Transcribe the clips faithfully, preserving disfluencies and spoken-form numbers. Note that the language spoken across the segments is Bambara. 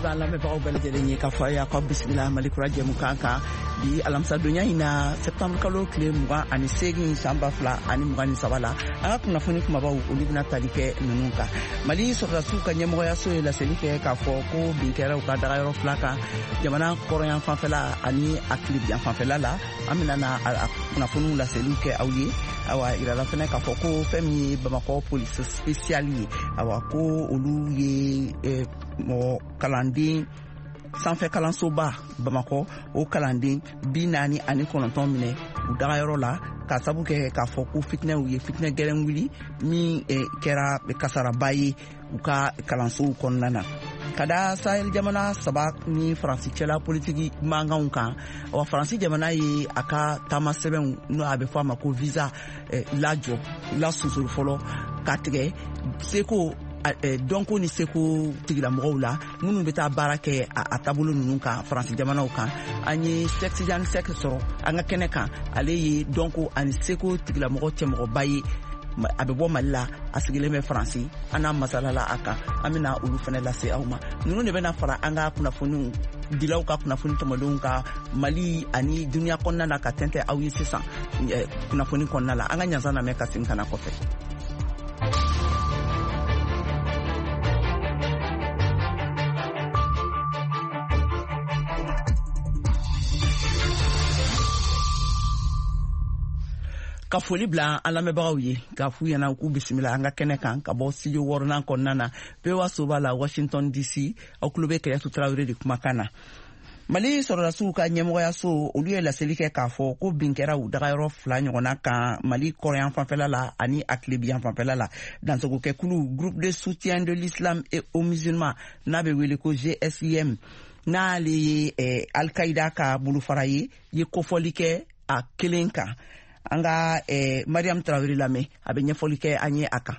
B'an lamɛnbagaw bɛɛ lajɛlen ye k'a fɔ a y'a ka bisimila Mali Kura jɛmukan kan bi alamisadonya in na, septembre kalo tile mugan ani seegin, san ba fila ani mugan ni saba la. An ka kunnafoni kumabaw, olu bɛna tali kɛ ninnu kan: Mali sɔrɔdasiw ka ɲɛmɔgɔyaso ye laseli kɛ k'a fɔ ko bin kɛra u ka dagayɔrɔ fila kan, jamana kɔrɔyan fanfɛla ani a tilebiyan fanfɛla la. An bɛna na a kunnafoniw laseliw kɛ aw ye. Awa, yirala fɛnɛ k'a fɔ ko fɛn min ye Bamakɔ police spéciale ye, awa, ko olu ye mɔgɔ kalanden sanfɛ kalansoba Bamakɔ, o kalanden bi naani ani kɔnɔntɔn minɛ u dagayɔrɔ la, ka sabu kɛ k'a fɔ ko fitinɛw ye fitinɛ gɛlɛn wuli min kɛra kasaraba ye u ka kalansow kɔnɔna na. Ka da Sahel jamana saba ni Faransi cɛla politiki mankanw kan, wa Faransi jamana ye a ka taama sɛbɛnw, n'o a bɛ fɔ a ma ko visa, lajɔ lasusuru fɔlɔ ka tigɛ seko dɔnko ni seko tigilamɔgɔw la minnu bɛ taa baara kɛ a taabolo ninnu kan Faransi jamanaw kan. An ye Sɛk Tijani Sɛk sɔrɔ an ka kɛnɛ kan. Ale ye dɔnko ani seko tigilamɔgɔ cɛmɔgɔba ye, a bɛ bɔ Mali la, a sigilen bɛ Faransi. An n'a masalala a kan. An bɛna olu fana lase aw ma. Ninnu de bɛna fara an ka kunnafoniw dilaw ka kunnafoni tɔmɔlenw ka Mali ani duniya kɔnɔna na ka tɛntɛn aw ye sisan kunnafoni kɔnɔna la. An ka ɲansan lamɛn ka segin ka na kɔfɛ. Ka foli bila an lamɛnbagaw ye k'a f'u ɲɛna k'u bisimila an ka kɛnɛ kan ka bɔ studio wɔɔrɔnan kɔnɔna na, V O A soba la, Washington D C. Aw tulo bɛ Kɛyatu Tarawele de kumakan na. Mali sɔrɔdasiw ka ɲɛmɔgɔyaso, olu ye laseli kɛ k'a fɔ ko bin kɛra u dagayɔrɔ fila ɲɔgɔnna kan, Mali kɔrɔyan fanfɛla la ani a tilebiyan fanfɛla la. Dansogokɛkulu Groupe de soutien de l'islam et aux musulmans, n'a bɛ wele ko G S I M, n'ale ye eh, Alkaïda ka bolofara ye, ye kofɔli kɛ a kelen kan. An ka eh, Mariam Tarawele lamɛn, a bɛ ɲɛfɔli kɛ an ye a kan.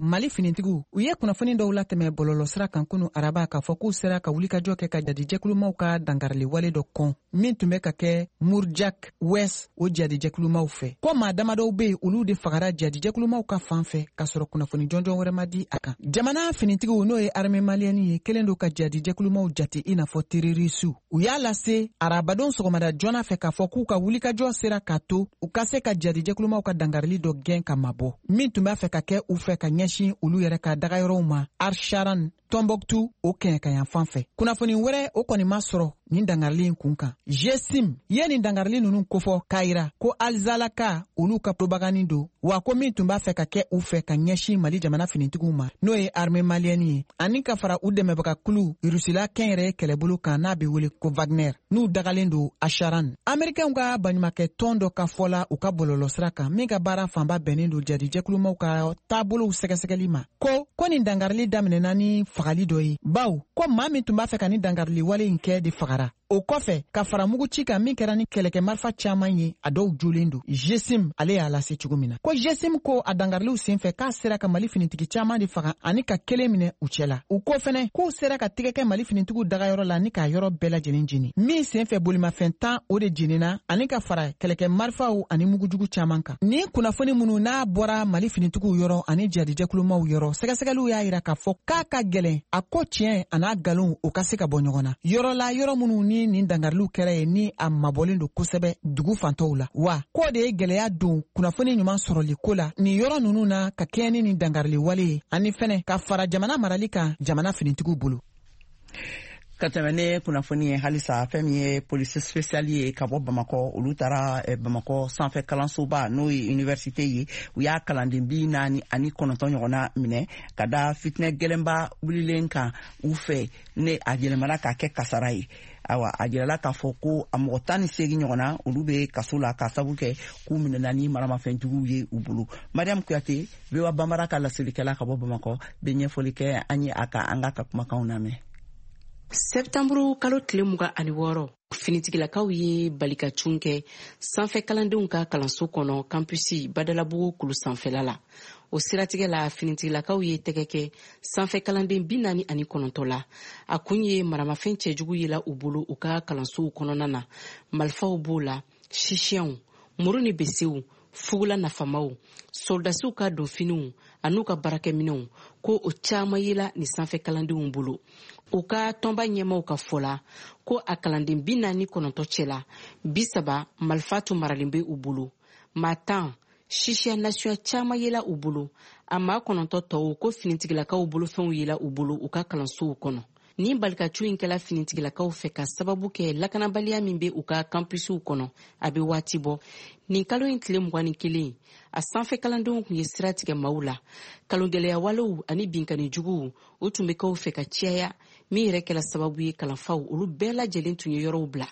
Mali finitigiw, u ye kunnafoni dɔw latɛmɛ bɔlɔlɔsira kan kunu araba k'a fɔ k'u sera ka wulikajɔ kɛ ka jadijɛkulumaw ka dankariliwale dɔ kɔn min tun bɛ ka kɛ Murjak West, o jadijɛkulumaw fɛ, ko maa damadɔw be yen, olu de fagara jadijɛkulumaw ka fan fɛ, k'a sɔrɔ kunnafoni jɔnjɔn wɛrɛ ma di a kan. Jamana finitigiw, n'o ye armée malienne ye, kelen don ka jadijɛkulumaw jate i n'a fɔ terroristew. U y'a lase arabadon sɔgɔmada joona fɛ k'a fɔ k'u ka wulikajɔ sera k'a to u ka se ka jadijɛkulumaw ka dankarili dɔ gɛn ka mabɔ min tun b'a fɛ ka kɛ u fɛ ka ɲɛsin olu yɛrɛ ka dagayɔrɔw ma Arsharan, Tɔnbɔkutu, o kɛɲɛkayan fan fɛ. Kunnafoni wɛrɛ, o kɔni ma sɔrɔ nin dangarili in kun kan. G S I M ye nin dangarili ninnu kofɔ k'a yira ko Alizalaka, olu ka propagande don, wa ko min tun b'a fɛ ka kɛ u fɛ ka ɲɛsin Mali jamana finitigiw ma, n'o ye armée malienne ye, ani ka fara u dɛmɛbagakulu Rusila kɛnyɛrɛye kɛlɛbolo kan, n'a bɛ wele ko Wagner, n'u dagalen don Asharan. Amerikɛnw ka baɲumakɛ tɔn dɔ ka fɔ la u ka bɔlɔlɔsira kan, min ka baara fanba bɛnnen don jadijɛkulumaw ka taabolow sɛgɛsɛgɛli ma, ko ko nin dangarili daminɛna ni fagali dɔ ye, baw ko maa min tun b'a fɛ ka nin dangarili wale in kɛ de fagara. O kɔfɛ, ka fara muguci kan min kɛra ni kɛlɛkɛ marifa caaman ye, a dɔw jolen don. G S I M, ale y'a lase cogo min na, ko G S I M ko a dangariliw sen fɛ, k'a sera ka Mali finitigi caaman de faga ani ka kelen minɛ u cɛ la. U ko fɛnɛ k'u sera ka tigɛ kɛ Mali finitigiw dagayɔrɔ la ni k'a yɔrɔ bɛɛ lajɛlen jeni, min sen fɛ bolimafɛn tan, o de jenina, ani ka fara kɛlɛkɛ marifaw ani mugujugu caaman kan. Nin kunnafoni minnu n'a bɔra Mali finitigiw yɔrɔ ani jadijɛkulumaw yɔrɔ, sɛgɛsɛgɛliw y'a yira k'a fɔ k'a ka gwɛlɛn a ko tiɲɛ a n'a galon o ka se ka bɔ ɲɔgɔn na yɔrɔ la, yɔrɔ minnu ni nin dangariliw kɛra ye, ni a mabɔlen don kosɛbɛ dugu fantɔw la, wa k'o de ye gwɛlɛya don kunnafoni ɲuman sɔrɔli ko la nin yɔrɔ ninnu na, ka kɛɲɛ ni nin dangarili wale ye, ani fɛnɛ ka fara jamana marali kan jamana finitigiw bolo. Ka tɛmɛ ne kunnafoni ye halisa, fɛn min ye police spéciale ye ka bɔ Bamakɔ, olu taara eh, Bamakɔ sanfɛ kalansoba, n'o ye université ye, u y'a kalanden bi naani ani kɔnɔntɔn ɲɔgɔnna minɛ ka da fitinɛ gɛlɛnba wulilen kan u fɛ, ne a yɛlɛmana k'a kɛ kasara ye. Awa, a jirala k'a fɔ ko a mɔgɔ tan ni seegin ɲɔgɔnna, olu bɛ kaso la k'a sabu kɛ k'u minɛna ni maramafɛnjuguw ye u bolo. Mariam Kuyate, V O A Banbara ka laselikɛla ka bɔ Bamakɔ, bɛ ɲɛfɔli kɛ an ye a kan. An k'a ka kumakanw lamɛn. Sɛptanburu kalo tile mugan ani wɔɔrɔ, finitigilakaw ye balikacun kɛ sanfɛ kalandenw ka kalanso kɔnɔ, campus Badalabugu kulu sanfɛla la. O siratigɛ la, finitigilakaw ye tɛgɛ kɛ sanfɛ kalanden bi naani ani kɔnɔntɔ la. A kun ye maramafɛn cɛjugu yela u bolo u ka kalansow kɔnɔna na. Marifaw b'o la, sisiyɛnw, muru ni besew. Fugula nafamaw, sɔrɔdasiw ka donfiniw an'u ka baarakɛminɛnw, ko o caman yela nin sanfɛ kalandenw bolo. U ka tɔnba ɲɛmaw ka fɔ la ko a kalanden bi naani kɔnɔntɔn cɛla, bi saba marifa tun maralen bɛ u bolo. Maa tan sisiya nasuya caman yela u bolo. A maa kɔnɔntɔn tɔw ko finitigilakaw bolofɛnw yela u bolo u ka kalansow kɔnɔ. Nin balikatu in kɛla finitigilakaw fɛ ka sababu kɛ lakanabaliya min bɛ u ka kampusiw kɔnɔ a bɛ waati bɔ. Nin kalo in tile mugan ni kelen, a sanfɛ kalandenw tun ye sira tigɛ maaw la. Kalongɛlɛya walew ani binkanni juguw o tun bɛ k'aw fɛ ka caya, min yɛrɛ kɛla sababu ye kalanfaw olu bɛɛ lajɛlen tun ye yɔrɔw bila.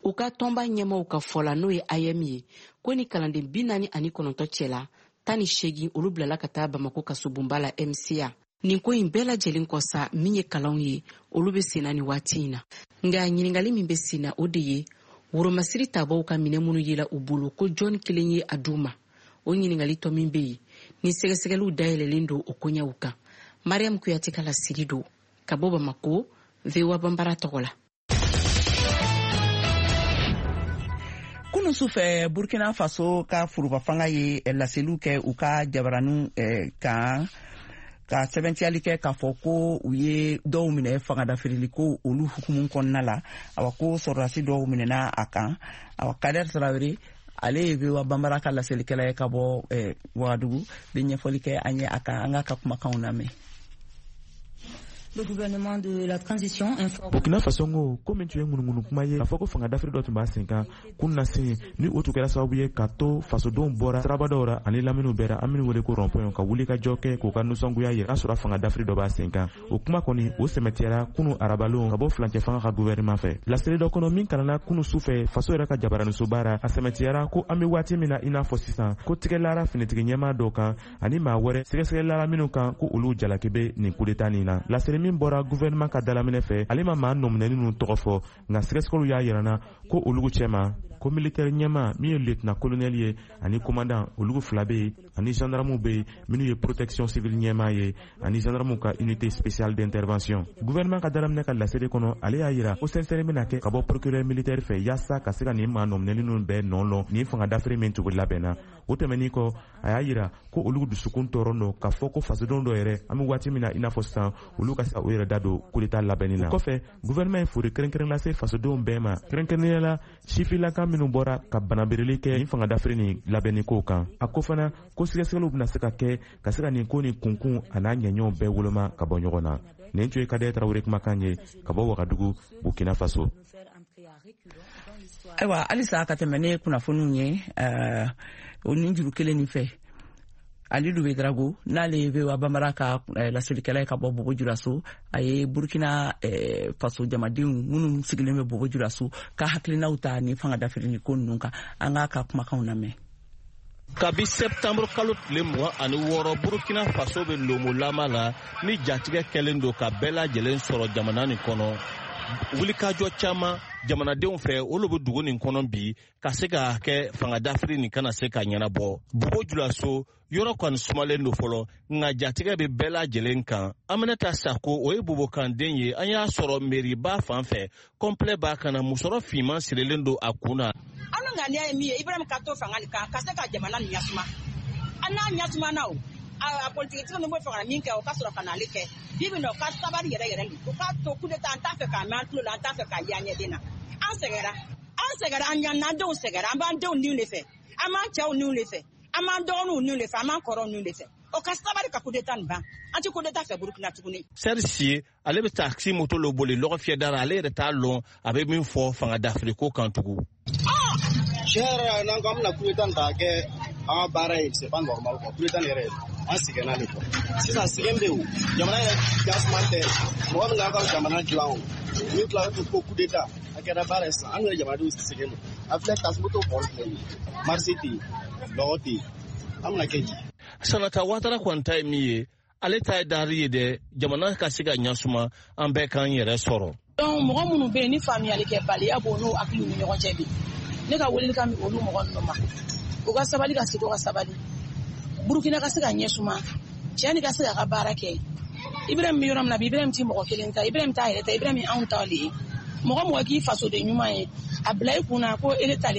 U ka tɔnba ɲɛmaw ka fɔ la, n'o ye A M ye, ko ni kalanden bi naani ani kɔnɔntɔn cɛla, tan ni seegin olu bilala ka taa Bamako kasobonba la M C A. Nin ko in bɛɛ lajɛlen kɔ sa, min ye kalanw ye, olu bɛ senna nin waati in na. Nka ɲininkali min bɛ senna, o de ye woromasiri tabaw ka minɛ minnu yela u bolo, ko jɔn kelen ye a d'u ma. O ɲininkali tɔ min bɛ yen, ni sɛgɛsɛgɛliw dayɛlɛlen don o koɲɛw kan. Mariam Kuyate ka laseli don ka bɔ Bamako, V O A Banbara tɔgɔ la. Kunun sufɛ, Burkina Faso ka foroba fanga ye laseliw kɛ u ka jabaraninw kan, ka sɛbɛntiyali kɛ k'a fɔ ko u ye dɔw minɛ fangadafirili ko olu hukumu kɔnɔna la. Awa, ko sɔrɔdasi dɔw minɛna a kan. Awa, Kader Traoré, ale ye V O A Banbara ka laselikɛla ye ka bɔ eh, Wagadugu, bɛ ɲɛfɔli kɛ an ye a kan. An k'a ka kumakanw lamɛn. Le gouvernement de la transition informe. Burkina Faso ko ko min tun ye ŋunuŋunu kuma ye k'a fɔ ko fanga dafiri dɔ tun b'a sen kan kunnasen, ni o tun kɛra sababu ye ka to fasodenw bɔra siraba dɔw ra ani laminiw bɛɛ ra, an minnu wele ko rond-point, ka wuli ka jɔ kɛ k'u ka nisɔngoya yira n'a sɔrɔ fanga dafiri dɔ b'a sen kan. O kuma kɔni o sɛmɛtiyara kunu arabalon ka bɔ furancɛ fanga ka gouvernement fɛ. Laseli dɔ kɔnɔ min kalanna kunu su fɛ faso yɛrɛ ka jabaranisoba ra, a sɛmɛtiyara ko an bɛ waati min na i n'a fɔ sisan, ko tigɛlara finitigi ɲɛmaa dɔw kan ani maa wɛrɛ sɛgɛsɛgɛlara minnu kan ko olu jalaki bɛ nin kudeta nin na. Laseli min bɔra gouvernement ka dalaminɛ fɛ, ale ma maa nɔminɛni ninnu tɔgɔ fɔ, nka sɛgɛsɛgɛliw y'a yirana ko olu cɛma ko militaire ɲɛmaa min ye lieutenant colonel ye ani commandant, olu fila bɛ yen, ani gendarmew bɛ yen minnu ye protection civile ɲɛmaa ye ani gendarmew ka unité spéciale d'intervention. Gouvernement ka dalaminɛ ka laseli kɔnɔ, ale y'a yira ko sɛnsɛnni bɛna kɛ ka bɔ procureur militaire fɛ yaasa ka se ka nin maa nɔminɛni ninnu bɛɛ nɔ lɔn nin fanga dafiri min tugu labɛnna. O tɛmɛnin kɔ, a y'a yira ko olu dusukun tɔɔrɔ don k'a fɔ ko fasodenw dɔ yɛrɛ, an bɛ waati min na i n'a fɔ sisan, olu ka se ka u yɛrɛ da don coup d'état labɛnni na. O kɔfɛ, gouvernement ye foli kɛrɛnkɛrɛn lase fasodenw bɛɛ ma, kɛrɛnkɛrɛnnenya la sifinlaka minnu bɔra ka banabereli kɛ nin fanga dafiri nin labɛnni kow kan. A ko fana ko sɛgɛsɛgɛliw bɛna se ka kɛ ka se ka nin ko nin kunkun a n'a ɲɛɲɛw bɛɛ woloma ka bɔ ɲɔgɔn na. Nin tun ye Kader Traoré kumakan ye ka bɔ Wagadugu, Burkina Faso. Ayiwa, halisa ka tɛmɛ ne kunnafoniw ye o nin juru kelen nin fɛ, Alidu Ouédraogo, n'ale ye V O A Banbara ka laselikɛla ye ka bɔ Bobo Julaso, a ye Burkina Faso jamadenw minnu sigilen bɛ Bobo Julaso ka hakilinaw ta ni fanga dafirili ko ninnu kan. An k'a ka kumakanw lamɛn. Kabi septembre kalo tile mugan ani wɔɔrɔ, Burkina Faso bɛ lomolama la ni jatigɛ kɛlen don ka bɛɛ lajɛlen sɔrɔ jamana nin kɔnɔ. Wulikajɔ caman jamanadenw fɛ, olu bɛ dugu nin kɔnɔ bi ka se ka kɛ fanga dafiri nin kana se ka ɲɛnabɔ. Bobo Julaso yɔrɔ kɔni sumalen don fɔlɔ, nka jatigɛ bɛ bɛɛ lajɛlen kan. Aminata Sako, o ye bobokanden ye, an y'a sɔrɔ meriba fan fɛ, kɔnpilɛ b'a kan na, musɔrɔ finman sirilen don a kun na. An ŋaniya ye min ye, Ibrahim ka to fanga nin kan ka se ka jamana nin ɲasuma. An n'a ɲasumana o, a politikitigi ninnu bɛ fɛ ka min kɛ, o ka sɔrɔ ka n'ale kɛ. Bi bi in na, o ka sabali yɛrɛ yɛrɛ de. O k'a to coup d'état, an t'a fɛ k'a mɛn an tulo la, an t'a fɛ k'a ye an ɲɛden na. An sɛgɛnra, an sɛgɛnra, an ɲanna, an denw sɛgɛnra, an b'an denw niw de fɛ, an b'an cɛw niw de fɛ, an b'an dɔgɔninw niw de fɛ, an b'an kɔrɔw niw de fɛ. O ka sabali ka coup d'état nin ban. An tɛ coup d'état fɛ Burkina tuguni. Serisi, ale bɛ taxi moto lo boli lɔgɔ fiyɛ da la, ale yɛrɛ t'a lɔn a bɛ min fɔ fanga dafiri ko kan tugun. Tiɲɛ yɛrɛ la, n'an ko an bɛna coup d'état nin ta kɛ an ka baara ye, c'est pas normal quoi. Coup d'état nin yɛrɛ, an sɛgɛnna de quoi. Sisan sɛgɛn bɛ yen o, jamana yɛrɛ jasuma tɛ, mɔgɔ min k'an ka jamana dilan o, min tilala ko coup d'état, a kɛra baara ye sisan, an yɛrɛ jamanadenw sɛgɛn don. A filɛ taxi moto bɔli filɛ nin ye, marché tɛ yen, lɔgɔ tɛ yen, an bɛna kɛ di? Sanata Watara kɔni ta ye min ye, ale ta ye dari ye dɛ, jamana ka se ka ɲasuma, an bɛɛ k'an yɛrɛ sɔrɔ. Donc mɔgɔ minnu bɛ yen ni faamuyalikɛbaliya b'o n'u hakiliw ni ɲɔgɔn cɛ bi, ne ka welelikan bɛ olu mɔgɔ ninnu ma, u ka sabali, ka segin ka sabali, Burukina ka se ka ɲɛsuma, cɛ ni ka se k'a ka baara kɛ. Ibrahim bɛ yɔrɔ min na bi, Ibrahim ti mɔgɔ kelen ta, Ibrahim t'a yɛrɛ ta, Ibrahim anw ta de ye. Mɔgɔ mɔgɔ k'i fasoden ɲuman ye, a bila i kunna ko ele talen.